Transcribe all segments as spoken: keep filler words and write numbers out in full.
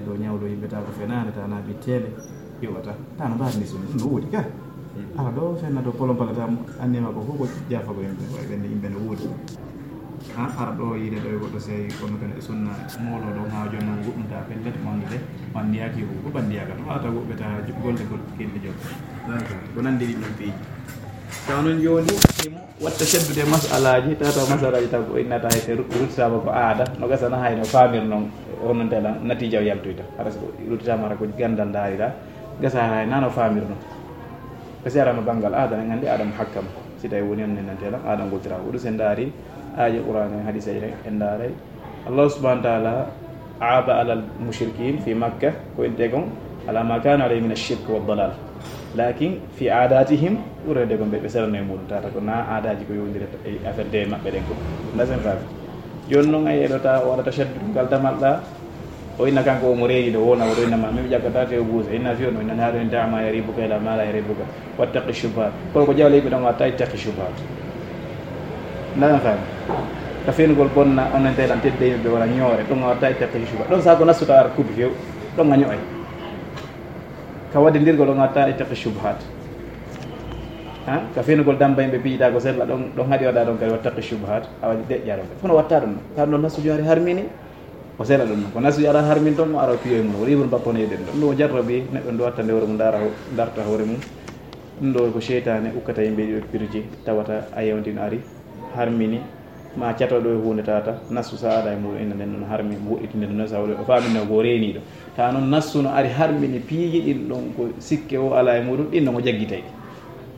Ɗo ñawɗo yimɓe ta ko fenaande, ta na ɓitteende, yoɓata. Ta no mbaɗni sunna, ɗum no woodi ka. Ala ɗo fenna ɗo polon palata mo, annema ko fof ko jaafa ko yimɓe, ko ɓen yimɓe no woodi. Ha, ara ɗo yiide ɗo e goɗɗo sey, kono kadi e sunna, moolo ɗo ŋaaw jonno goɗɗum ta pellet, mo anndude, ɓanndiyaaki ko, ko ɓanndiyaaka. Ɗum arata woɓɓe ta golle gol, kelli jom. Ko nanndi ɗin ɗon piiji. Taw noon jooni, himo watta seddude masalaaji, tata masalaaji taw ko innata hay te ru-, ruttitaama ko aada, no gasana hay no faamir noon, onon tela natija o yaltoyta. Hara so ruttitaama hara ko ganndal ndaarira, gasa hay nano faamir noon. Kasi arama banngal aada, en anndi aada mo hakkam. Si tawi woni on nennante lan, aada ngoltira. Ko ɗum sen ndaari, aaji Qur'aan en, hadiisa en, en ndaaray. Allah subhanahu wa ta'ala aaba alal mushrikin fi Makka, ko en tegon, ala ma kana alayhi min ash-shirk wa dalal. Lakin fi adatihim, ɓurede ko ɓe, ɓe serano e muɗum, tata ko na aadaji ko yowndiri e affaire de maɓɓe ɗen ko. Ndasen faami. Jooni noon a yeɗota o waɗa tashaddud ngal damal ɗa, o inna kanko omo reeni ɗo wona, oɗo inna ma, min mi ƴakkata te o buusa, inna fiyo no, inna haɗo en dama yaribuka ila ma la yaribuka. Wattaqi shubuhat. Kono ko jawle yimɓe ɗon watta ittaqi shubuhat. Ndaɗan faami. Ka fenugol bonna, onon teɗan tedde yimɓe wala ñoore, ɗon watta ittaqi shubuhat. Ɗon sa ko nassuta ara kubi few, ɗon a ño'ay. Ka wadde ndirgol ɗon watta ittaqi shubuhat. Ha? Ka fenugol damba yimɓe pijita ko sella ɗon, ɗon haɗi waɗa ɗon kadi wattaqi shubuhat. A waɗi deƴƴa ɗon. Kono watta ɗum. Ka ɗon nassu joari harmini. O sela ɗum noon. Ko nasu yara harmin toon mo ara piyo e mum. O ibn bakkono yeɗen ɗum. Ɗum o jarrabi neɗɗo ndu watta nde hoore mum, ndaara ho-, ndarta hoore mum. Ɗum ɗo ko seytaane ukkata yimɓe ɗiɗo pirji, tawata a yewndi no ari, harmini, ma cato ɗo e huunde tata, nasu sa ada e muɗum inna nden ɗon harmi, mo woɗɗitinde ɗum noon sa waɗi, o faamino ko reeniiɗo. Ta noon nasu no ari harmini piiji ɗin ɗon ko sikke o ala e muɗum, ɗin no mo jaggitay.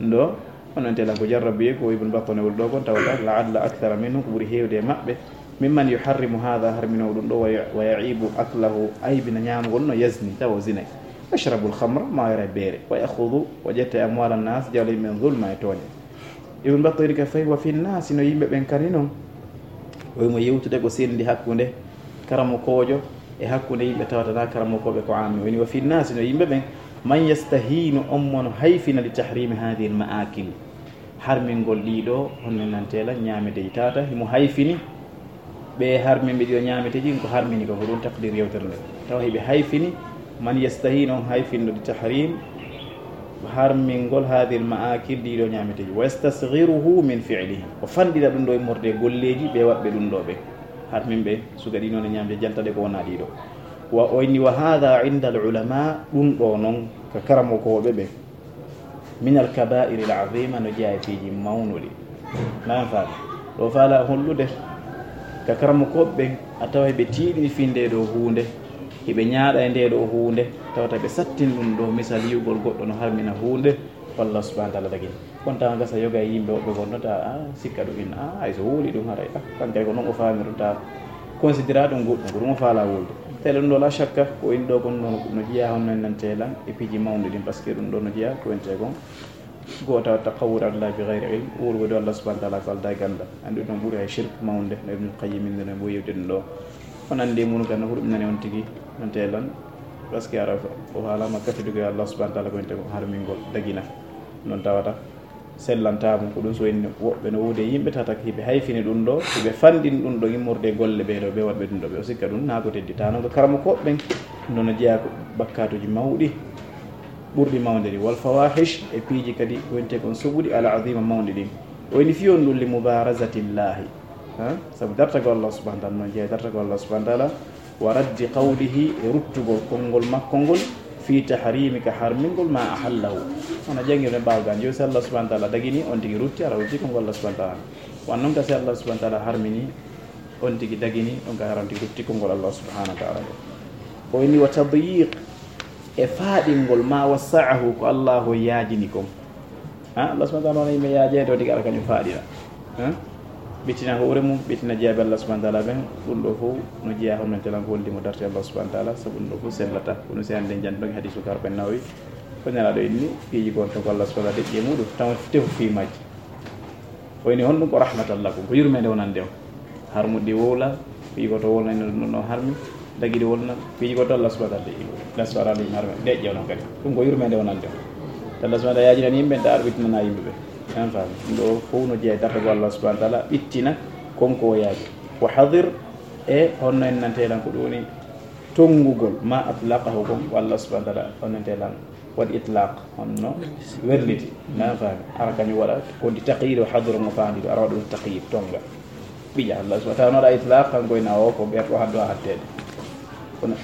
Ɗum ɗo, Onon telan ko jarrabiye ko Ibn Battal e wol ɗo kon tawata, la'alla akthara minhum, ko ɓuri heewde e maɓɓe, mimman yuharrimu hadha, harmino ɗum ɗo, wa ya-, wa ya'ibu aklahu, aybina ñaamugol no yazni, tawa o zinay. Yashrabu al-khamra, ma yara beere, wa ya'khudhu, o ƴetta e amwal an-nas, jawle men zulma e tooñe. Ibn Battal iri ka fayi, wa fi nnasi, no yimɓe ɓen kadi non. O wimo yewtude ko sendi hakkunde karamokoojo e hakkunde yimɓe tawata na karamokooɓe ko aami. O woni wa fi nnasi, no yimɓe ɓen, man yastahinu, on mo no hayfina li tahrimi hadhihi al-ma'akil. Harmingol ɗiɗo, honno nantela ñaameteeji tata, himo hayfini ɓe harminɓe ɗiɗo ñaameteeji, ko harmini ko, ko ɗum taqdir yewtere nde. Tawa hiɓe hayfini, man yastahinu, on hayfinɗo li tahrim, harmingol hadhihi al-ma'akil ɗiɗo ñaameteeji. Wa yastasghiruhu min fi'lihi. O fanɗina ɗum ɗo immorde e golleeji ɓe waɗɓe ɗum ɗo ɓe. Harminɓe suka ɗi noon e ñaamde jaltaɗe ko wona ɗiɗo. Wa o inni wa hadha inda al-ulama, ɗum ɗo noon ka karamokooɓe ɓe. Min al-kaba'iri al-azima, no jeyaa e piiji mawnuɗi. Nan faami. Ɗo faala hollude ka karamokooɓe ɓen, a tawa hiɓe tiiɗini fii nde ɗo huunde, hiɓe ñaaɗa e nde ɗo huunde, tawata ɓe sattin ɗum ɗo misal yi'ugol goɗɗo no harmina huunde, ko Allah subhanahu wa ta'ala dagini. Kono tawa gasa yoga e yimɓe woɓɓe gonno ta, a, sikka ɗum inna, a, hay so wuuli ɗum haray, a, kankay ko non o faami ɗum ta, considéra ɗum goɗɗum, ko ɗum o faala wulde. Tele ɗum ɗo la shakka, ko in ɗo kon non no jeyaa honno en nante lan e piiji mawɗi ɗin, parce que ɗum ɗo no jeyaa ko en te kon. Goota taqawwur Allah bi ghayri ilm, wuurgo dow Allah subhanahu wa ta'ala ko aldaa e ganndal. Anndi ɗum ɓuri hay shirk mawnde, no Ibnul Qayyim inde no mbo yewde ɗum ɗo. On anndi e mum kan no huɗum nani on tigi, non te lan, parce que ara o haalama kafidugo e Allah subhanahu wa ta'ala ko en te ko harmingol dagina. Non tawata sellantaama ko ɗum so en woɓɓe no wuude yimɓe tata hiɓe hayfini ɗum ɗo, hiɓe fanɗin ɗum ɗo immorde e golle ɓee ɗo, ɓe waɗɓe ɗum ɗo, ɓe o sikka ɗum naa ko teddi. Tawa noon ko karamokooɓe ɓen, ɗum ɗo no jeyaa ko bakkaatuuji mawɗi, ɓurɗi mawde ɗi, wal fawahish, e piiji kadi ko wonte kon suɓuɗi al azima mawɗi ɗin. O ini fiyon ɗum li mubarazatillahi. Ha? Sabu dartagol Allah subhanahu wa ta'ala, noon jeyaa dartagol Allah subhanahu wa ta'ala, wa raddi qawlihi, e ruttugol konngol makko ngol, fi tahrimi, ka harmingol, ma ahallahu. Hono janngirde ɓaawo gaan, yo si Allah subhanahu wa ta'ala dagini, on tigi rutti, ara rutti konngol Allah subhanahu wa ta'ala. Wan noon ka si Allah subhanahu wa ta'ala harmini, on tigi dagini, on ka haranti rutti konngol Allah subhanahu wa ta'ala. O inni wa tadyiq, e faaɗingol ma wassa'ahu, ko Allahu yaajini kon. Ha? Allah subhanahu wa ta'ala wona yimɓe yaajeede, o tigi ara kañum faaɗina. Ha? Ɓittina hoore mum, ɓittina jeyaaɓe Allah subhanahu wa ta'ala ɓen, ɗum ɗo fof no jeyaa hono men telan ko holli mo darti Allah subhanahu wa ta'ala, sabu ɗum ɗo fof sellata. Kono si hannde en jantuɗon hadiisu ka Arba'iin Nawawi, ko Nelaaɗo inni, piiji goonɗo ko Allah subhanahu wa ta'ala deƴƴi e muɗum, tawa tefu fii majji. O ini honɗum ko rahmatan lakum, ko yurmeende wonande on. Harmuɗi wowla, piiji goto wowla ina ɗum ɗo harmi, dagiɗi wowla, piiji goto Allah subhanahu wa ta'ala deƴƴi. Allah subhanahu wa ta'ala harmi, deƴƴi onon kadi. Ɗum ko yurmeende wonande on. Allah subhanahu wa ta'ala yaajinani yimɓe, ta arɓitinana yimɓe ɓe. En faami. Ɗum ɗo fof no jeyaa e dartagol Allah subhanahu wa ta'ala, ɓittina kon ko o yaaji. Wa hadir, e honno en nante lan ko ɗum woni Tonngugol ma atlaqahu, kon ko Allah subhanahu wa taala, onon te lan waɗi itlaq, honno werliti. Na faami? Ara kañum waɗa ko ndi taqyid o hadoro mo faandi ɗo, ara waɗa ɗum taqyid, tonnga. Ɓiƴa Allah subhanahu wa taala, no waɗa itlaq, kanko ina o ko ɓeer ɗo haddo a hatteede. Kono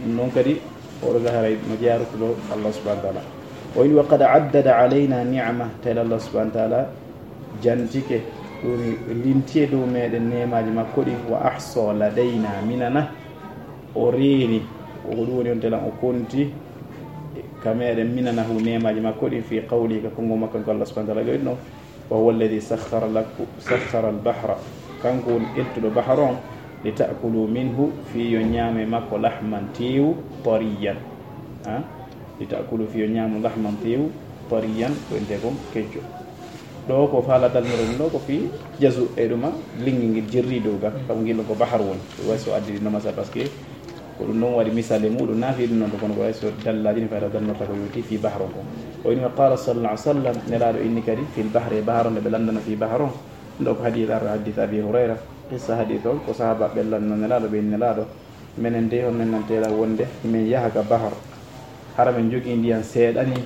non kadi, oɗo gaharay no jeyarutuɗo Allah subhanahu wa taala. O ini, wa qad addada alayna ni'ama, tawi Allah subhanahu wa taala jantike, ɗum limti e dow meɗen neemaji makko ɗin, wa ahsa ladayna minana, o reeni, ko ɗum woni on telan o konti ka meɗen minanahu neemaji makko ɗin fi qawli, ka konngol makko ko Allah subhanahu wa taala ɗo, wa huwa alladhi sakhkhara lakum, sakhkhara al-bahra, kanko woni ƴettuɗo bahar on, li ta'kulu minhu, fi yo ñaame makko, lahman, teewu, tariyan, ha? Li ta'kulu, fi yo ñaamu, lahman, teewu, tariyan, ko ente kon kecco. Ɗo ko faala dalnore ɗum ɗo ko fi jazu e ɗuma lingi ngil jirri dow ga, kam ngil ko bahar woni. Way so addi no masa parce que ko ɗum ɗon waɗi misale muɗum, na fi ɗum noon to kono ko way so dallaji ni fayda dalnorta ko yowti fi bahar on kon. O ini wa qala sallallahu alaihi wasallam, Nelaaɗo inni kadi fil bahri, e bahar on nde ɓe lanndano fi bahar on. Ɗo ko hadith, arɗo hadith Abi Hurayra, qissa hadith on ko sahaba ɓe lanno Nelaaɗo, ɓe inni Nelaaɗo, menen de on nennanteɗa wonde min yaha ka bahar, hara min jogii ndiyan seeɗa ni,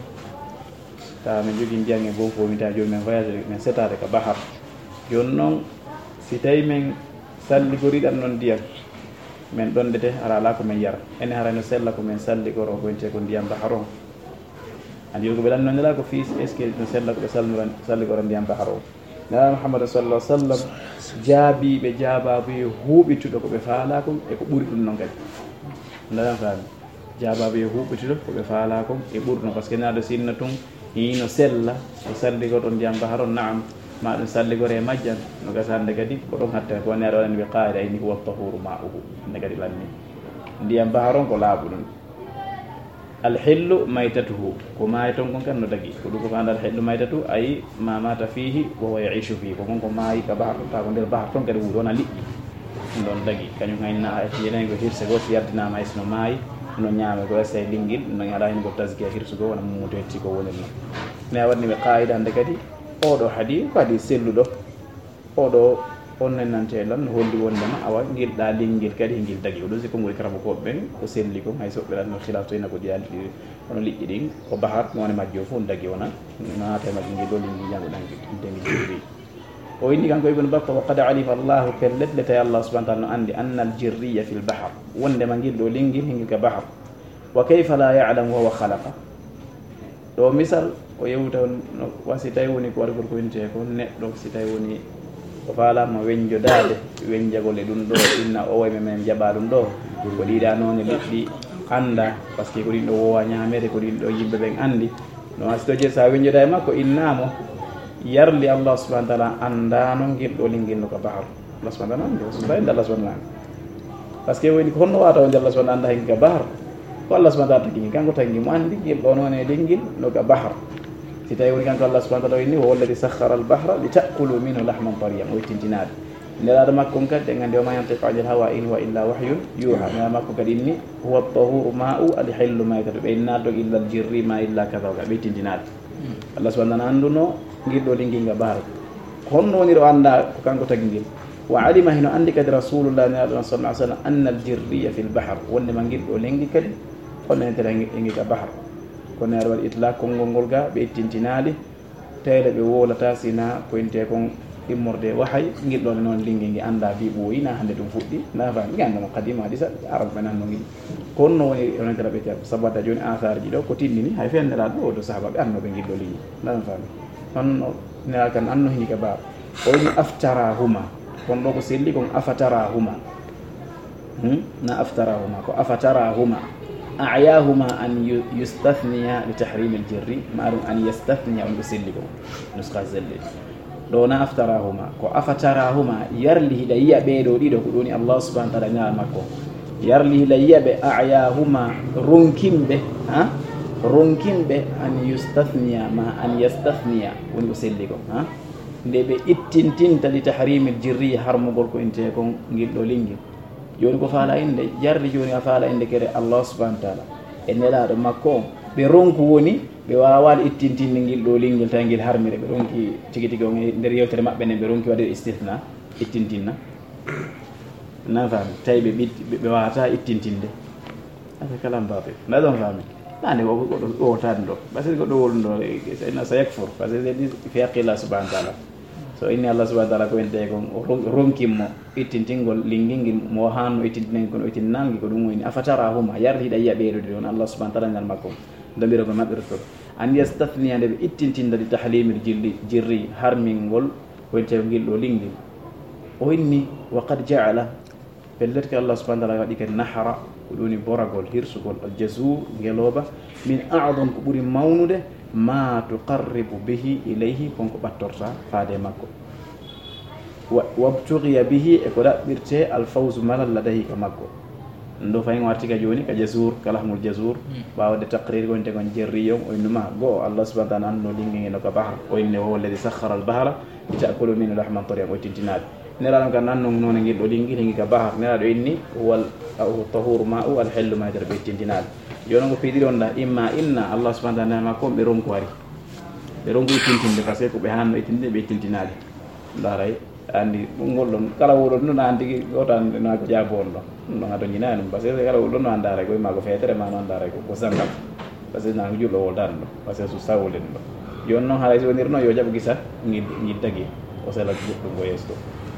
tawa min jogii ndiyan e gonfo, min tawa jooni min voyage, min setaade ka bahar. Jooni noon, si tawi min salligoriɗan noon ndiyan, min ɗondete, hara alaa ko min yara. Ene hara no sella ko min salligoro, ko wiyetee ko ndiyan bahar on. Andi ko ɓe lanno Nelaaɗo fii, est-ce que no sella ko ɓe salnora, salligora ndiyan bahar on? Nelaaɗo Muhammad sallallahu alaihi wasallam jaabii ɓe jaabaabu huuɓituɗo ko ɓe faalaa kon e ko ɓuri ɗum noon kadi. Ndaɗan faami? Jaabaabu huuɓituɗo ko ɓe faalaa kon e ɓuri ɗum, parce que Nelaaɗo sinna tun hino sella, o salligorɗo ndiyan bahar on, naam, ma ɗum salligore e majjan, no gasa hannde kadi ko ɗon hatta ko Nelaaɗo waɗani ɓe qaayida, inni huwa tahuru ma'uhu. Hannde kadi lanni ndiyan bahar on ko laaɓuɗum. Alhillu maytatuhu, ko maayi ton kon kan no dagi. Ko ɗum ko faanda alhillu maytatu, ay ma mata fihi wa huwa yaishu fihi. Ko kon ko maayi ka bahar ton, ta ko nder bahar ton kadi wuuri, wona liƴƴi. Ɗum ɗon dagi. Kañum hay na a acci yeneen ko hirse goo, si yardinaama hay si no maayi, no ñaame ko essay lingil, no ñala hen ko taskiya hirsugo, wona mummuto hetti ko woni ɗum. Ne a waɗni ɓe qaayida hannde kadi, oɗo hadis ko hadis selluɗo. Oɗo on nennante lan no holli wondema awa ngil ɗa lingel kadi ngil dagi. Ko ɗum si konngol karabukooɓe ɓen ko selli kon, hay soɓɓe lan no khilaf to ina ko diyaali ɗi, kono liƴƴi ɗin ko bahar, mone majji o fof dagi wona naata e majji ngel ɗo lingel ñago ɗan ngel, ɗum de ngel jirri. O inni kanko Ibn Battah, wa qad alima Allahu, pellet le tawi Allah subhanahu wa ta'ala no andi, anna al jirriya fil bahar, wondema ngel ɗo lingel hingel ka bahar. Wa kayfa la ya'lamu wa huwa khalaqa? Ɗo misal, o yewta no, wa si tawi woni ko waɗugol ko wintee ko neɗɗo, si tawi woni o faalaama weñjodaade, weñjagol e ɗum ɗo, inna o way men jaɓa ɗum ɗo, ko ɗiɗa noone liɗɗi annda, parce que ko ɗin ɗo wowa ñaamede, ko ɗin ɗo yimɓe ɓen anndi. No wa si to je sa weñjoda e makko, innaamo yarli Allah subhanahu wa ta'ala anndaano ngel ɗo lingel no ka bahar. Allah subhanahu wa ta'ala andi, so tawi Allah subhanahu wa ta'ala andi. Parce que woni ko honno wata wonde Allah subhanahu wa ta'ala anda hen ka bahar? Ko Allah subhanahu wa ta'ala tagi, kanko tagi mo andi ngel ɗo noon e lingel no ka bahar. Si tawi woni kanko Allah subhanahu wa ta'ala inni, wa huwa alladhi sakhkhara al-bahra li ta'kulu minhu lahman tariyan, o ittintinaade. Nelaaɗo makko on kadi, en andi, wa ma yantiqu anil hawa in huwa illa wahyun yuha. Nelaaɗo makko kadi inni, huwa at-tahuru ma'u al-hillu maytatu. Ɓe innaade ɗon illa al-jirri ma illa kaza wa kaza. Ɓe ittintinaade. Allah subhanahu wa ta'ala anduno ngel ɗo lingel nga bahar. Ko honno woni ɗo annda ko kanko tagi ngel? Wa alima, hino anndi kadi Rasulullah, Nelaaɗo sallallahu alaihi wasallam, anna al-jirriya fil bahar, wonde ma ngel ɗo lengi kadi, kono en tera ngi ka bahar. Kono aɗa waɗi itlaq konngol ngol ga, ɓe ittintinaali, tawde ɓe wowlata sina ko inte kon immorde wahay, ngel ɗo noon lingi ngi annda bi ɓooyi, na hannde ɗum fuɗɗi, na faami, ngi annda mo qadima hadisa, Arab ɓe nanno ngel. Ko honno woni onon tera ɓe tera, sabata jooni asaarji ɗo, ko tindini, hay fen Nelaaɗo ɗo, do sahaba ɓe anno ɓe ngel ɗo lingi, na faami. Honno Nelaaɗo kan anno hini ka bahar. O wi'i, aftarahuma. Kon ɗo ko selli kon afatarahuma. Hmm? Na aftarahuma, ko afatarahuma. A'yahuma an yu-, yustathniya li tahrimil jirri, ma ɗum an yastathniya, on ko selli kon. Nuskha selli. Ɗo na aftarahuma, ko afatarahuma, yarli hiɗa yi'a ɓee ɗo ɗiɗo, ko ɗoni Allah subhanahu wa ta'ala ñaal makko. Yarli hiɗa yi'a ɓe, a'yahuma, ronkimɓe, ha? Ronkimɓe an yustathniya, ma an yastathniya, woni ko selli kon, ha? Nde ɓe ittintinta li tahrimil jirri, harmugol ko intee kon ngil ɗo lingel. Jooni ko faala innde, jarri jooni a faala innde kere Allah subhanahu wa ta'ala e Nelaaɗo makko on. Ɓe ronku woni, ɓe waawaali ittintinde ngil ɗo lingel tawi ngel harmire. Ɓe ronki tigi tigi on e nder yewtere maɓɓe nden, ɓe ronki waɗde istithna, ittintinna. Na faami? Tawi ɓe ɓitti, ɓe, ɓe waawata ittintinde. Asa kalam batil. Na ɗon fami. Nani ko goɗɗo wowtan ɗo. Parce que goɗɗo wowluno ɗo, eh, eh, sa yakfur. Parce que c'est dit fi haqqi Allah subhanahu wa ta'ala. So inni Allah subhanahu wa ta'ala ko ente kon, o ron-, ronkin mo ittintingol lingingil mo hanno ittintingol kono ittinnangi ko ɗum woni afatarahuma. Yardi hiɗa yiya ɓeeɗo ɗi on Allah subhanahu wa ta'ala ngal makko. Ndamira ko maɓɓirtol. An yastathniya nde ɓe ittintinda di tahlimil jilli, jirri harmingol ko ente ngil ɗo lingil. O inni wa qad ja'ala. Pellet ke Allah subhanahu wa ta'ala waɗi ke nahra, ko ɗum woni boragol, hirsugol, al jazur, ngelooba, min a'dam ko ɓuri mawnude, ma tuqarribu bihi ilayhi, kon ko ɓattorta faade makko. Wa, wabtughiya bihi e ko ɗaɓɓirte al fawzu malal ladahi ka makko. Ɗum ɗo fayin warti ka jooni ka jazur, ka lahmul jazur, ɓaawde taqrir gonte kon jerri on, o innuma go'o Allah subhanahu wa ta'ala anno lingi ngeno ka bahar, o inne wa huwa alladhi sakhkhara al bahra li ta'kulu minhu lahman tariyan o tintinaade. Nelaaɗo kan nan non noone ngel ɗo lingi lingi ka bahar. Nelaaɗo inni wal tahuru ma'u al hellu ma nder ɓe tintinaade. Jooni ko piɗiri on da imma inna Allah subhanahu wa ta'ala ma ko ɓe ronku ari. Ɓe ronku ittintinde parce que ko ɓe hanno ittinde ɓe tintinaade. Ndaray andi ngol ɗon kala wuɗon ɗum andi goto andi na ko jaabo on ɗon. Ɗum ɗon ato ñina ɗum parce que kala wuɗon no andare ko ma ko fetere ma no andare ko ko sangal. Parce que na ko julɗo woldan ɗo parce que so sawlen ɗo. Yon noon haray so wonir noon yo jaɓo gisa ngid ngid tagi o sela goɗɗum ko yeeso.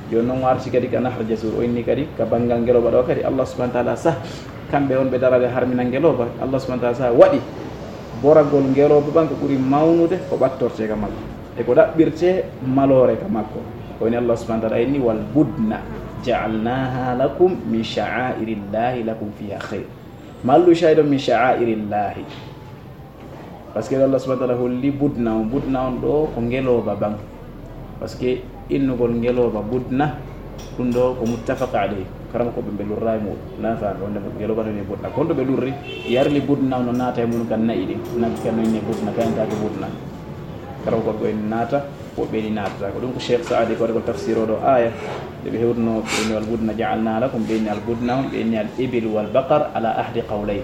Yon noon warti kadi ka nahar jasur o inni kadi ka banngal ngeloba ɗo kadi Allah subhanahu wa ta'ala sah kamɓe on ɓe darade harmina ngeloba Allah subhanahu wa ta'ala sah waɗi boragol ngeloba ɓan ko ɓuri mawnude ko ɓattorte ka makko e ko ɗaɓɓirte maloore ka makko. Ko woni Allah subhanahu wa ta'ala inni wal budna ja'alnaha lakum min sha'airillahi lakum fiha khair. Mallu shaydo min sha'airillahi. Parce que Allah subhanahu wa ta'ala holli budna on, budna on ɗo ko ngeloba ban. Parce que innugol ngeloba budna ɗum ɗo ko muttafaqa alayhi. Karama ko ɓe ɓe lurra e muɗum na fa wonde ngeloba no ne budna kon to ɓe lurri yarli budna on no naata e mun kan nayi ɗin naggi kan no inne budna kayanta ko budna. Karama ko ɓe naata woɓɓe ni naatata ko ɗum ko Cheikh Saadi ko ko tafsir o ɗo aya nde ɓe hewtuno ɓe inni wal budna ja'alna lakum ɓe inni al budna on ɓe inni al ibil wal baqar ala ahdi qawlayn.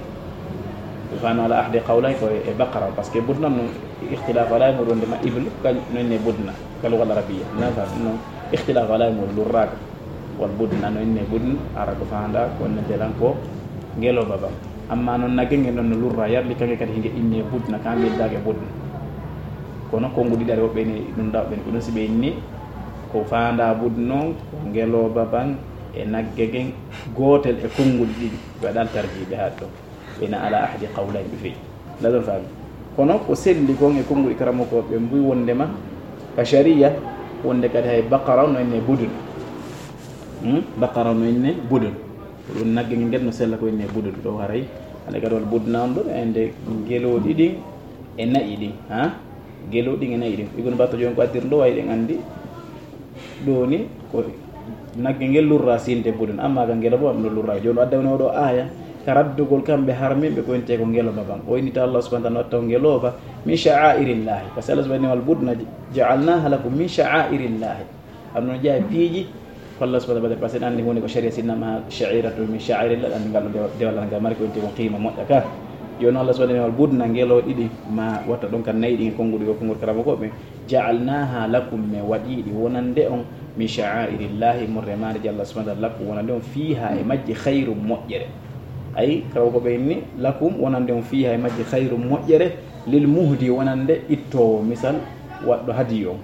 Ɓe fano ala ahdi qawlayn ko e baqara parce que budna no ikhtilaf ala e muɗum nde ma ibil kañ no inne budna ka lugal arabiya na fa no ikhtilaf ala e muɗum lurraka. Wal budna no inne budna ara ko fanda ko nante lan ko ngeloba ba. Amma noon nagge nge noon no lurra yarli kanke kadi hinge inne budna ka mbiddake budna. Kono kongu ɗiɗare woɓɓe ni ɗum dawɓe ni ko ɗum si ɓe inni ko fanda budna on ko ngeloba ban e nagge gen gotel e konguɗi ɗiɗi. Ɓe waɗal tarjiɓe haɗ ɗon ɓena ala ahdi qawlayn ɓe feƴi. Laɗon faami kono ko selli kon e konguɗi karamokoɓe mbuy wondema ka sharia wonde kadi hay baqara no inne budun. Hmm? Baqara no inne budun. Ko ɗum nagge ngel no sella ko inne budun ɗo haray. Ande kadi wal budna on ɗo ende ngeloɗi ɗin e nayi ɗin ha. Ngeloɗi ɗin e nayi ɗin ibnu batta joni ko addir ɗo wayi ɗen andi. Ɗo ni ko nagge ngel lurra sinde budun amma ka ngeloba on no lurra joni adda woni oɗo aya ka raddugol kamɓe harminɓe ko winte ko ngeloba ban o innita Allah subhanahu wa ta'ala watta ko ngeloba min sha'airillahi parce que Allah subhanahu wal budna ja'alnaha lakum min sha'airillahi. Am no jeeya piiji ko Allah subhanahu wa ta'ala parce que andi hunde ko sharia sinnama sha'iratu min sha'airillah andi ngal dewal ngal mari ko winte ko qima moƴƴa ka. Joni Allah subhanahu wa ta'ala budna ngelo ɗiɗi ma watta ɗon kan nayi ɗi konguɗi ko konguɗi karama ko ɓe. Ja'alnaha lakum, min waɗi ɗi wonande on, min sha'airillahi, morre maare je Allah subhanahu wa ta'ala, lakum, wonande on, fiha, e majji, khairun, moƴƴere. Ay, kala ko ɓe inni, lakum, wonande on, fiha, e majji, khairun, moƴƴere, lil muhdi, wonande ittoowo, misal, waɗɗo hadiyu on.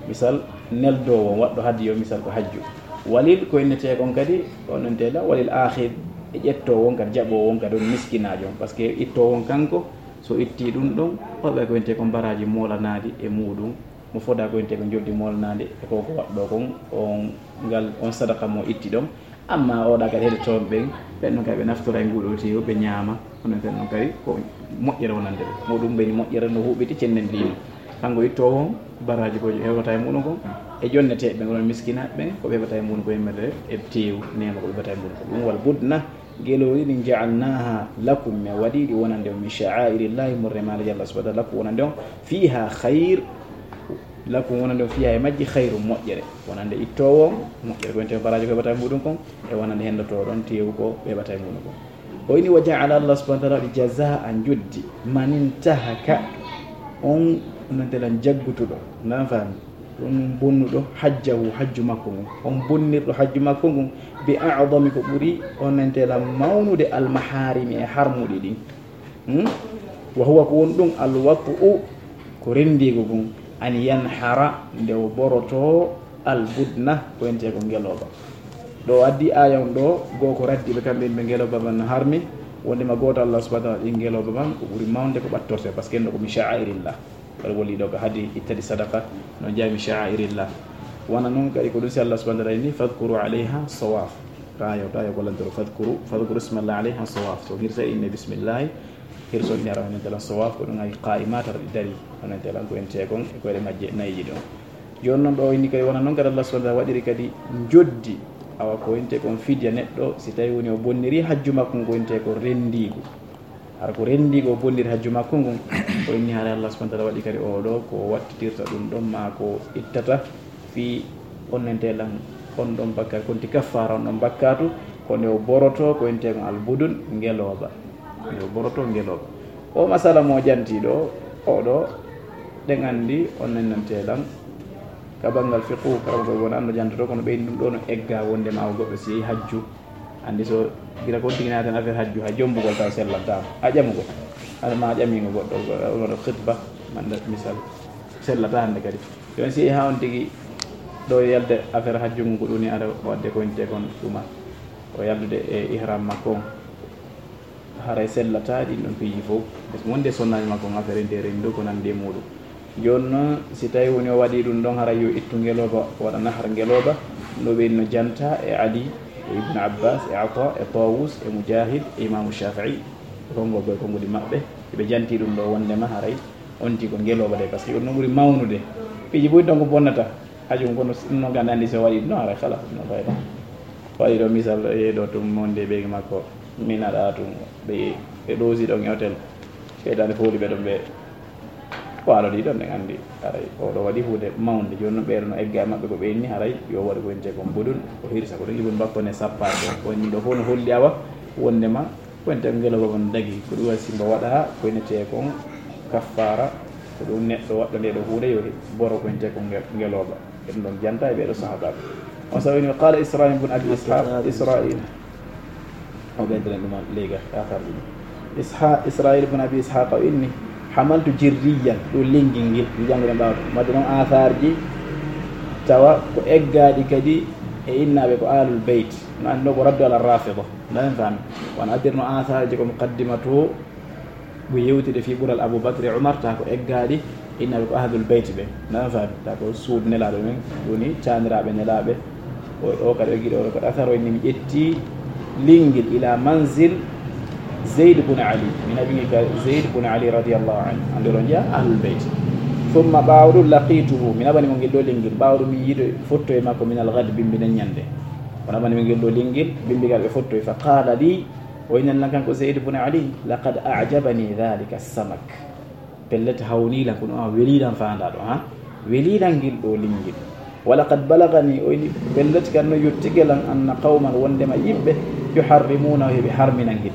Misal, neldoowo on, waɗɗo hadiyu on, misal, ko hajju. Walil, ko innetee kon kadi, on entela, walil akhid, e ƴettoowo on kadi, jaɓoowo on kadi, on miskinaajo on. Parce que ittoowo on kanko, so itti ɗum ɗon, waɗa ko wiyetee kon baraaji moolanaaɗi e muuɗum, mo fodaa ko wiyetee ko njoldi moolanaaɗi e ko ko waɗɗoo kon, on ngal, on sadaka mo itti ɗon. Amma oɗa kadi heɗe toon ɓen, ɓen ɗon kadi ɓe naftora e nguɗo teewu, ɓe ñaama, kono ɓen ɗon kadi ko moƴƴere wonande ɓe. Muɗum ɓeni moƴƴere no huɓiti cennen diina. Kanko ittoowo on, baraaji ko heɓata e muɗum kon, e jonneteeɓe ɓen, onon miskinaaɓe ɓen, ko ɓe heɓata e muɗum ko yemmete e teewu, neema ko ɓe heɓata e muɗum kon. Ɗum wal budna, Gelooɗi ɗin, ja'alnaaha lakum, min waɗi ɗi wonande on, min sha'aa'irillahi, morre maare Allah subhaanahu wa ta'aala, lakum wonande on, fiihaa khayr, lakum wonande on, fiihaa e majji, khayrun moƴƴere, wonande ittoowo on, moƴƴere ko wonte baraaji ko heɓata e muɗum kon, e wonande henndotooɗo on teewu ko ɓe heɓata e muɗum kon. O inni, wa ja'ala, Allah subhaanahu wa ta'aala waɗi, jazaa'an, joddi, man intahaka, on, on nodde lan jaggutuɗo, nan faami? Ɗum bonnuɗo hajjahu, hajju makko ngun. On bonnirɗo hajju makko ngun, bi a'dami, ko ɓuri, on entela, mawnude, al maharimi, e harmuɗi ɗin. Hmm? Wa huwa, ko won ɗum, al wat'u, ko rendiigu ngun, an yanhara, nde o boroto, al budna, ko entee ko ngelooba. Ɗo o addi aaya on ɗo, goo ko raddi ɓe kamɓe yimɓe ngelooba man no harmi, wonde ma gooto Allah subhanahu wa ta'ala ɗi ngelooba man ko ɓuri mawnde ko ɓattorte, parce que no ko min sha'airillah. Kadi woni ɗo ko hadi ittadi sadaqa, no jami sha'airillah. Wana non kadi ko ɗum si Allah subhanahu wa ta'ala inni, "Fadhkuru alayha sawaf." Tayo, tayo ko lantoro, "Fadhkuru, fadhkuru ismallah alayha sawaf." So hirsa inne bismillah, hirso inne ara honen talan sawaf, ko ɗum ay qa'imat ar dari, honen talan ko en tekon, e ko ede majje nayi ɗon. Jooni non ɗo inni kadi wona non kadi Allah subhanahu wa ta'ala waɗiri kadi joddi, awa ko en tekon fidya neɗɗo, si tawi woni o bonniri hajju makko ko en tekon rendigu. Hara ko renndi ko bonndir hajju makko ngun, o inni haray Allah subhanahu wa ta'ala waɗi kadi oo ɗoo ko wattitirta ɗum ɗon, maa ko ittata fii onnentee lan on ɗon bakkaatu, konti kaffaara on ɗon bakkaatu, ko nde o boroto ko entee kon albudun, ngelooba. Nde o boroto ngelooba. O masala mo jantii ɗoo, oo ɗoo, ɗen anndi onnentee lan ka banngal fiqhu, kala ko wona no jantoto, kono ɓeydi ɗum ɗoo no egga wonde ma o goɗɗo si yehi hajju, anndi so gira kon tigi naati en affaire hajju, hay jombugol taw sellantaama. A ƴamugol. Hade ma a ƴamiingo goɗɗo, goɗɗo khitba, manda misal, sellata hannde kadi. Jooni si yehi haa on tigi ɗo yalde affaire hajju ngun, ko ɗum ni ara o adde ko wonte kon ɗuma. O yaldude e ihram makko on. Haray sellata ɗin ɗon piiji fof. Parce que wonde sonnaaji makko on affaire nde renndo ko nandi e muuɗum. Jooni non, si tawi woni o waɗi ɗum ɗon, haray yo ittu ngelooba, o waɗa nahar ngelooba, no ɓe no janta e Ali, e Ibn Abbas, e Ata, e Tawus, e Mujahid, e Imamu Shafi'i, e konngol boy konngudi maɓɓe, ɓe janti ɗum ɗo wondema haray on tigi ko ngelooba de, parce que on no ɓuri mawnude. Piiji buy donc bonnata, hajum kono no ganda andi so waɗi ɗum, haray kala, no fayda. Waɗi ɗo misal, e ɗo tum monde ɓeygi makko, min aɗa tum, ɓe, ɓe ɗoosi ɗon e hôtel. Seytaane fooli ɓe ɗon ɓe Ko alodi ɗon en anndi, haray oo ɗoo waɗi huunde mawnde. Jooni non ɓeeɗo no egga e maɓɓe ko ɓe inni, haray yo waɗu ko innte kon budun, o hirsa ko ɗum ibun bakko ne sappaade. Ko inni ɗo fof no holli awa wondema ko innte kon ngelooba on dagi. Ko ɗum waɗi simba waɗa ko innetee kon kaffaara, ko ɗum neɗɗo waɗɗo nde ɗo huunde yo boro ko innte kon nge-, ngelooba. Eɗum ɗon janta e ɓeeɗo sahaabaaɓe. On sawi no qaala Israil bun Abi Ishaq, Israil. O ɓeydiren ɗum leyga, athar ɗum. Isha-, Israil bun Abi Ishaq o inni, hamaltu jirriyan, ɗum linngil ngil, mi janngude ɓaawo ɗum. Wadde noon athar ji, tawa ko eggaaɗi kadi e innaaɓe ko Ahlul Beyt. No anndi ɗo ko raddu ala Rafida. Ndaɗen faami. Wano addirno athar ji ko muqaddima to, Ɓe yewtide fii ɓural Abu Bakr e Umar, taa ko eggaaɗi, inna ɓe ko Ahlul Bayt ɓe. Nana faami? Taa ko suudu Nelaaɗo men, woni caaniraaɓe Nelaaɓe. O, o kadi o giɗo, o kadi asar, o inni mi ƴetti linngil ila manzil Zayd bun Ali. Mi naɓi ngel ka Zayd bun Ali radiyallahu anhu. Hannde oɗon njiya Ahlul Bayt. Thumma ɓaawo ɗum laqituhu, mi naɓani mo ngel ɗo linngil. Ɓaawo ɗum mi yiido fotto e makko minal ghad, bimbi nden ñannde. O naɓani mo ngel ɗo linngil, bimbi ngal ɓe fottoyi. Fa qala li, O inani lan kanko Zayd bun Ali, "Laqad a'jabani dhalika samak." Pellet hawnii lan, kono a welii lan faandaa ɗo, ha? Welii lan ngil ɗo linngil. "Wa laqad balagani," o ini, pellet kan no yottike lan, "anna qawman," wondema yimɓe, "yuharrimuna," heɓe harmina ngil.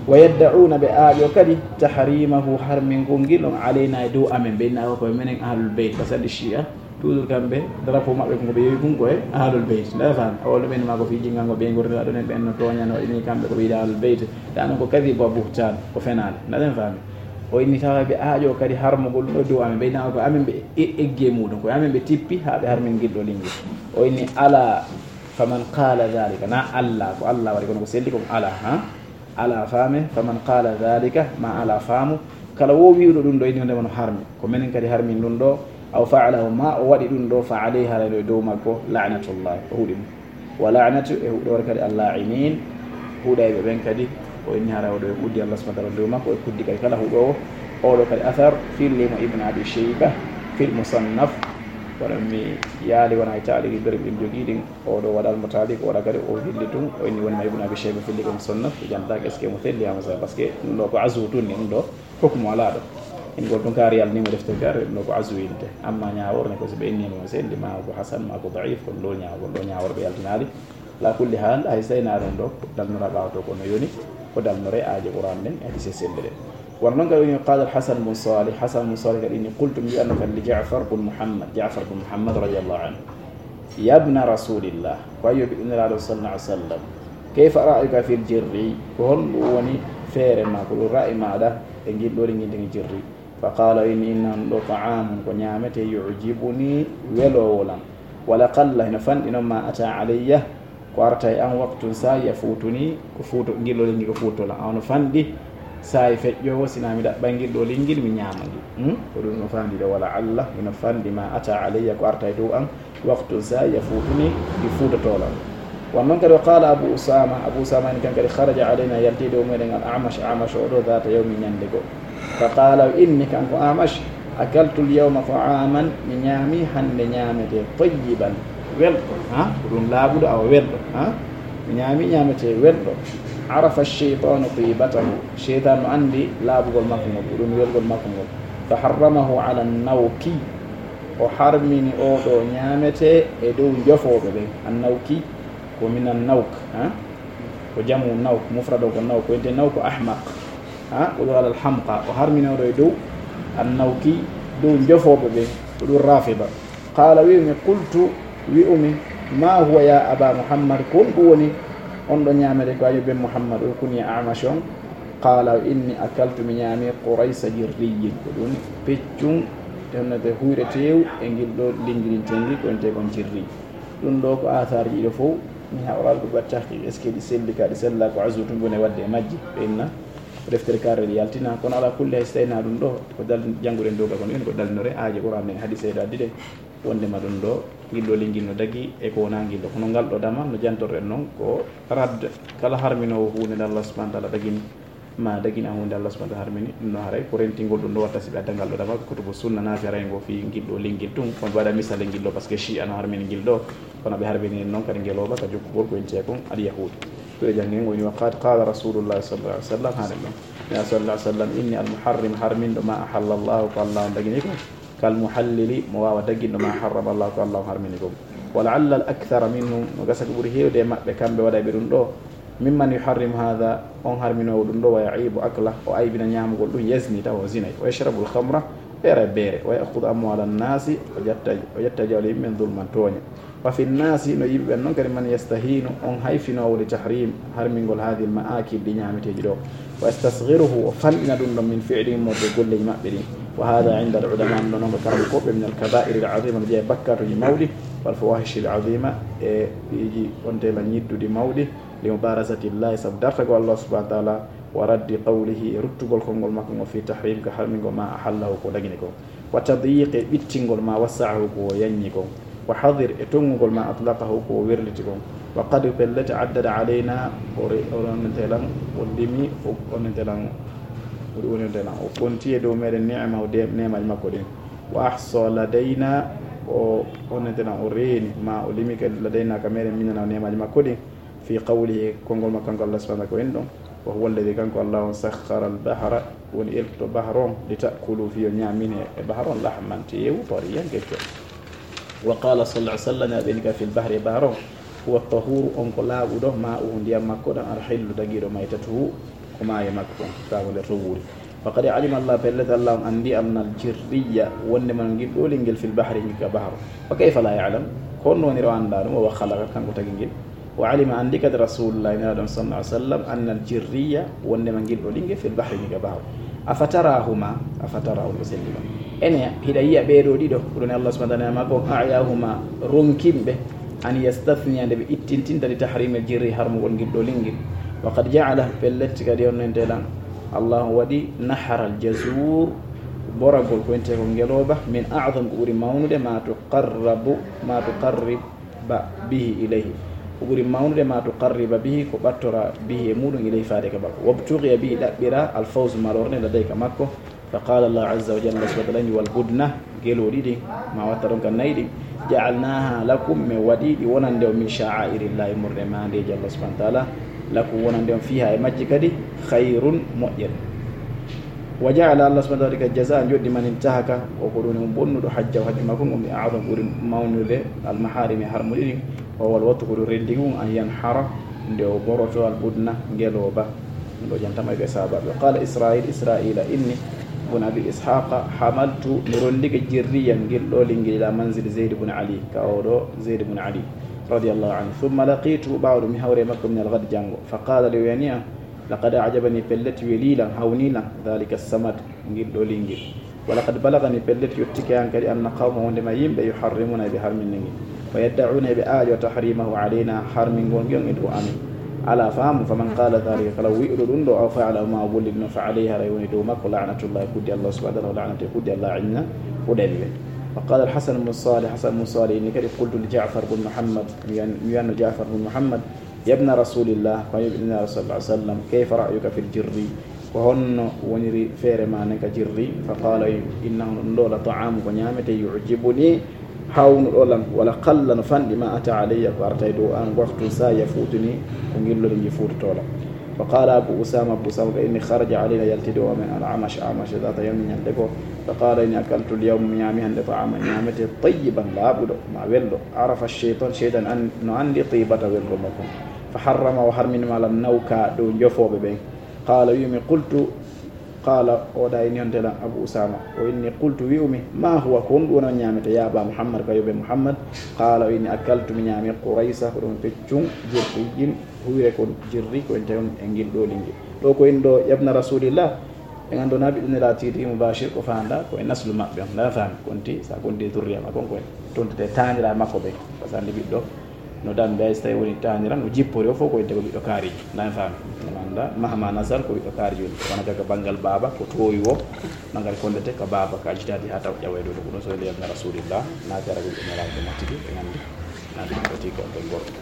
"Wa yadda'una," ɓe aaƴo kadi, "tahrimahu," harmingol ngil on, "alayna," e dow amen, ɓe inna ko menen ahlul bayt, ka sali shi'a. Toujours kamɓe, drapeau maɓɓe ko ɓe yewi kun ko e Ahlul Bayt. Nde faami, o ɗum en ma ko fii jingango ɓe ngortira ɗon en ɓen no tooña no ini kamɓe ko ɓe yiɗa Ahlul Bayt. Ɗa non ko kadi ko buhtaan, ko fenaande. Nde faami. O inni tawa ɓe aaƴo kadi harmugol ɗum ɗo dow amen. Ɓe nawa ko amen ɓe e-, eggi e muɗum. Ko amen ɓe tippi haa ɓe harmin ngil ɗo linngil. O inni ala faman qala dhalika. Na Allah, ko Allah waɗi kono ko selli ko ala, ha? Ala faame, faman qala dhalika, ma ala faamu, kala wo wi'uɗo ɗum ɗo, inni wonde wano harmi, ko menen kadi harmin ɗum ɗo, aw fa'alahu, ma o waɗi ɗum ɗo, fa alayhi, haray ɗo e dow makko, la'natullah, o huɗi mo. Wa la'natu, e huɗoore kadi, al-la'inin, huɗayɓe ɓen kadi, o inni haray o ɗo e kuddi Allah subhanahu wa ta'ala dow makko, e kuddi kadi kala huɗoowo. Oɗo kadi athar, fillimo Ibn Abi Shayba, fil Musannaf, kono mi yaali wona e taaliki berɓe ɗin jogii ɗin. Oɗo waɗal mo taali ko waɗa kadi o hilli tun, o inni woni ma Ibn Abi Shayba filli ko mo sonna, o jantaaki est-ce que mo felli haa mo sa, parce que ɗum ɗo ko azu tun ni, ɗum ɗo hukmu alaa ɗo. Ingol tun kaari yalni mo defte kaari, ɗum ɗo ko azu yinte. Amma ñaawor ne ko si ɓe inni mo sendi ma ko hasan, ma ko da'if, ko ɗo ñaawor, ɗo ñaawor ɓe yaltinaali. La kulli hal, hay sayna ɗum ɗo, dalnora ɓaawo to ko no yoni, ko dalnore aaje Qur'an ɗen, e hadise selluɗe. Wano noon kadi woni, qala Alhasan bun Salih, Hasan bun Salih kadi inni, qultu, mi wi'anno kadi li Ja'far bun Muhammad, Ja'far bun Muhammad radiyallahu anhu, yabna rasulillah, ko a yo ɓiɗɗo Nelaaɗo sallallahu alaihi wasallam, kayfa ra'yuka fil jirri, ko honɗum woni feere ma, ko ɗum ra'i maɗa e ngil ɗo linngintigi jirri? Fa qala, inni, inna ɗo ta'amun, ko ñaamete, yu'jibuni, weloowo lan, wala qalla, hino fanɗi noon, ma ata alayya, ko arta e an, waqtun, saa'i, yafuutuni, ko fuuto, ngillo lengi ko fuutola. Ono fanɗi saa'i feƴƴoowo, sina mi ɗaɓɓay ngillo lingil, mi ñaama ngil. Hmm? Ko ɗum no fanɗi ɗo, wala Allah, ino fanɗi ma ata alayya, ko arta e dow an, waqtun, saa'i, yafuutuni, ɗi fuutotola. Wan noon kadi, wa qala Abu Usama, Abu Usama en kan kadi, kharaja alayna, yalti dow meɗen, al Amash, Amash o ɗo, dhata yawmi, ñande goo. Fa qala, o inni kanko Amash, akaltu al-yawma ta'aman, mi ñaami hannde ñaamete, tayyiban, welɗo, ha? Ko ɗum laaɓuɗo, awa welɗo, ha? Mi ñaami ñaamete welɗo. Arafa ash-shaytanu taybatahu, sheytan no anndi laaɓugol makko ngol, ko ɗum welgol makko ngol. Fa harramahu ala an-nawki, o harmini oo ɗoo ñaamete e dow njofooɓe ɓen. An-nawki ko min an-nawk, ha? Ko jamu nawk, mufrad o ko nawk, ko wiyetee nawk ko ahmaq. Ha? O ɗo alal hamqa, o harmini oo ɗoo e dow an-nawki, dow njofooɓe ɓe, ko ɗum rafida. Qala, wi'umi, qultu, wi'umi, ma huwa ya aba Muhammad, ko honɗum woni on ɗo ñaamete ko a yo ben Muhammad, o kuni Amash on? Qala, o inni, akaltu, mi ñaami, quraysa jirriyin, ko ɗum peccum, tennete huyre teew e ngil ɗo lingirintengi, ko wiyetee kon jirri. Ɗum ɗo ko asaarji ɗiɗo fow, mi haɓaali ko waɗi tahqiq, est-ce que ɗi selli ka, ɗi sellaa, ko azru tun woni waɗde e majji, ɓe inna ko deftere karre ɗi yaltina, kono ala kulli hay so tawii na ɗum ɗo, ko dal-, jannguɗen dow ka kono ɗum ko dallinore aaje Qur'an ɗen, hadiseeje ɗo addi ɗe, wondema ɗum ɗo, ngil ɗo lingil no dagi, e ko wonaa ngil ɗo. Kono ngal ɗo damal no jantorɗen noon, ko radd, kala harminoowo huunde nde Allah subhanahu wa ta'ala dagini, ma dagina huunde Allah subhanahu wa ta'ala harmini, ɗum no haray ko rentingol ɗum ɗo watta si ɓe adda ngal ɗo damal ko kutubu sunna naati haray ngo fii ngil ɗo lingil tun, kono ɓe waɗa misal e ngil ɗo, parce que Shi'a no harmini ngil ɗo, kono ɓe harmini noon kadi ngelooba ka jokkugol ko wiyetee kon al-yahuud. Ko e janngen woni wa qad qala Rasulullah sallallahu alaihi wasallam, haɗen ɗon. Ya sallallahu alaihi wasallam, inni al-muharrim, harminɗo ma ahalla Allahu, ko Allah on dagini ko, kal muhallili, mo waawa daginɗo ma harrama Allah, ko Allah on harmini kon. Wa la'alla al-akthara minhum, no gasa ko ɓuri heewde e maɓɓe, kamɓe waɗay ɓe ɗum ɗo, mimman yuharrimu hadha, on harminoowo ɗum ɗo, wa ya'ibu akla, o aybina ñaamugol ɗum, yazni, tawa o zinay, wa yashrabu al-khamra, o yara beere, wa ya'khudhu amwala an-nasi, o ƴetta, o ƴetta jawle yimɓe ɓen, zulman, tooñe. Wa fi nnasi, no yimɓe ɓen non kadi, man yastahinu, on hayfinoowo li tahrim, harmingol hadhihi al-ma'akil, ɗi ñaameteeji ɗo. Wa yastasghiruhu, o fanɗina ɗum ɗon, min fi'lihim, wonde golleeji maɓɓe ɗin. Wa hadha inda al-ulama, ɗum ɗon ko karamokooɓe, min al-kaba'iri al-azima, no jeyaa e bakkaatuuji mawɗi, wal fawahishi al-azima, e piiji ontela ñidduɗi mawɗi, li mubarazati llahi, sabu dartagol Allah subhanahu wa ta'ala, wa raddi qawlihi, e ruttugol konngol makko ngol, fi tahrim, ka harmingol ma ahallahu, ko dagini kon. Wa tadyiqi, e ɓittingol ma wassa'ahu, ko o yanñi kon. Wa hadir, e tonngugol ma atlaqahu, ko o werliti kon. Wa qad, pellet, addada alayna, o re-, o ronnete lan, o limi, o onnete lan, o onnete lan, o konti e dow meɗen ni'amahu, de-, neemaaji makko ɗin. Wa ahsa ladayna, o onnete lan, o reeni, ma o limi kadi ladayna ka meɗen, minana, neemaaji makko ɗin. Fi qawlihi, konngol makko kanko Allah subhanahu wa ta'ala ko en ɗon, wa huwa alladhi, kanko Allah on, sakhkhara al-bahra, woni eltuɗo bahar on, li ta'kulu, fii yo ñaamine e bahar on, lahman, teewu, tariyan, kecco. Wa qala sallallahu alaihi wasallam, ɓe ni ka fil bahri, e bahar on, huwa tahuru, on ko laaɓuɗo, ma'uhu, ndiyam makko ɗam, al-hillu, dagiiɗo, maytatuhu, ko maaye makko kon, tawa nder to wuuri. Wa qad alima Allah, pellet Allah on anndi, anna al-jirriya, wonde man ngil ɗo lingel, fil bahri, ngil ka bahar. Wa kayfa la ya'lam? Ko honno woni o anndaa ɗum? Wa huwa khalaqa, kanko tagi ngil. Wa alima, anndi kadi Rasulullah, Nelaaɗo on, sallallahu alaihi wasallam, anna al-jirriya, wonde man ngil ɗo lingel, fil bahri, ngil ka bahar. Afatarahuma, afatarahu, ko selli ɗon. Ene, hiɗa yiya ɓee ɗoo ɗiɗo, ko ɗum Allah subhanahu wa ta'ala ma ko, a'yahuma, ronkinɓe, an yastathniya, nde ɓe ittintinta, li tahrimil jirri, harmugol ngil ɗo lingel. Wa qad ja'ala, pellet kadi on nente lan, Allahu waɗi nahral jazur, boragol ko wiyetee ko ngelooba, min a'zam, ko ɓuri mawnude, ma tuqarrabu, ma tuqarriba bihi ilayhi, ko ɓuri mawnude, ma tuqarriba bihi, ko ɓattora, bihi, e muɗum, ilayhi, faade ka makko. Wabtughiya bihi, ɗaɓɓira, al fawz, malornde, ladayhi, ka makko. Fa qala Allah azza wa jalla, Allah subhanahu wa ta'ala ni, wal budna, gelooɗi ɗin, ma watta ɗon ka nayi ɗin, ja'alnaha lakum, min waɗi ɗi wonande on, min sha'airillahi, immorde maandeeji Allah subhanahu wa ta'ala, lakum, wonande on, fiha, e majji kadi, khayrun, moƴƴere. Wa ja'ala, Allah subhanahu wa ta'ala, ka jazaa, njoɗɗi, man intahaka, o ko ɗum woni bonnuɗo, hajjahu, hajju makko ngon, bi a'zam, ɓuri mawnude, al maharimi, harmuɗi ɗin, wa huwa al wattu, ko ɗum renndingu, an yanhara, nde o boroto, al budna, ngelooba. Ɗo jantama ɓe sahabaɓe. Qala Israil, Israila inni bun Abi Ishaqa, hamaltu, mi rondike jirriyan ngel ɗo lingel ila manzil Zaid bun Ali, ka oɗo Zaid bun Ali radiyallahu anhu. Thumma laqitu, ɓawo ɗum mi hawre makko min al-ghad, jango. Fa qala li, o yani am, laqad a'jabani, pellet welilan, hawnilan, dhalika samad, ngel ɗo lingel. Wa laqad balagani, pellet yottike an kadi, anna qawma, wondema yimɓe, yuharrimuna, ɓe harminna ngel. Wa yadda'una, ɓe aajo, tahrimahu alayna, harmingol ngel e dow amin. Ala, faamu, faman qala dhalika, kala wi'uɗo ɗum ɗo, aw fa'ala, ma o golli ɗum, fa alayhi, haray woni dow makko, la'natullahi, kuddi Allah subhanahu wa ta'ala, la'natu, kuddi Allah, inna, o ɗawi ɓe. Wa qala al-Hasan ibn Salih, Hasan ibn Salih inni kadi, qultu li Ja'far ibn Muhammad, mi wiyan-, mi wiyanno Ja'far ibn Muhammad, yabna rasulillah, ko an yoɓi nulaaɗo sallallahu alaihi wasallam, kayfa ra'yuka fil jirri? Ko honno woniri feere ma nden ka jirri? Fa qala, innahu, ɗum ɗo la ta'amu, ko ñaamete, yu'jibuni, hawnuɗo lan, wala qalla, no fanɗi, ma ata alayya, ko arta e dow an, waqtu sa yafuutuni, ko ngillol ngi fuutoto lan. Fa qala Abu Usama, Abu Usama ka inni, kharaja alayna, yalti dow amen, al Amash, Amash, dhata yawmin, ñande goo. Fa qala inni akaltu al yawma, mi ñaami hande ta'aman, ñaamete, tayyiban, laaɓuɗo, ma welɗo. Arafa shaytan, shaytan an, no andi tiibata welgo makko. Fa harrama, o harmini ma lan nawka dow njofooɓe ɓen. Qala, wi'umi, qultu, qala, o da inni honte lan Abu Usama. O inni, qultu, wi'umi, ma huwa, ko honɗum woni on ñaamete, ya Aba Muhammad, ka yoɓe Muhammad? Qala, o inni, akaltu, mi ñaami, quraysa, ko ɗum peccum, jirriyyin, huyre kon jirri, ko en tawi on e ngil ɗo lingi. Ɗo ko en ɗo, yabna rasulillah, en anndo na ɓiɗɗo Nelaaɗo tigi mubashir ko faanda ko e naslu maɓɓe on. Nana faami? Konti, sa konti e zurriya makko on, ko e tontete taanira makko ɓe. Par ce que anndi ɓiɗɗo no dambe, hay so tawi woni taanira, no jippori o fof ko e dego ɓiɗɗo kaarijo. Nana faami? Nana annda, mahama nasar ko ɓiɗɗo kaarijo woni. Wona ka banngal baaba, ko toowi o, banngal konndete ka baaba, ka jitaadi haa taw ƴawoyde ɗo ko ɗum, so nde yabna rasulillah, naati ara ɓiɗɗo Nelaaɗo mo tigi, ɓe nganndi. Naati ɗum ko tigi ko on ɓe gorko.